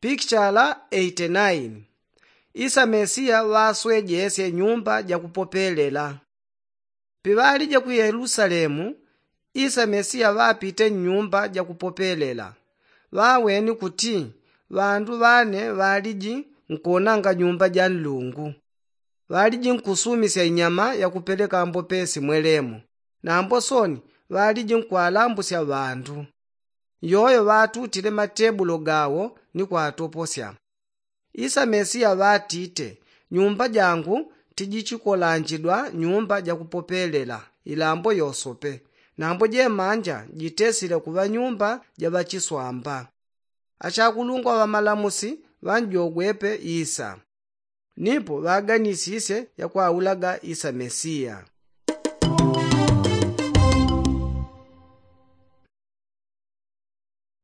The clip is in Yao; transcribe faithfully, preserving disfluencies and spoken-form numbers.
Pikichala eighty nine. Isa mesiya ŵaswejesye nyumba jakupopelela. Piŵalije ku yelusalemu, isa mesiya ŵapite nnyumba jakupopelela. Ŵaweni kuti ŵandu ŵane ŵaliji nkuonanga nyumba ja nlungu. Ŵaliji nkusumisya inyama yakupeleka mbopesi mwelemo. Nambo soni ŵaliji nkwalambusya ŵandu. Yoyo ŵatutile matebulo gawo ni kwatoposya. Isa mesiya ŵatite, nyumba jangu tijichikolanjidwa nyumba jakupopelela ilambo yosope. Nambo jemanja jitesile kuŵa nyumba ja ŵachiswamba. Achakulungwa ŵamalamusi ŵanjogwepe isa. Nipo ŵaganisisye yakwaulaga isa mesiya.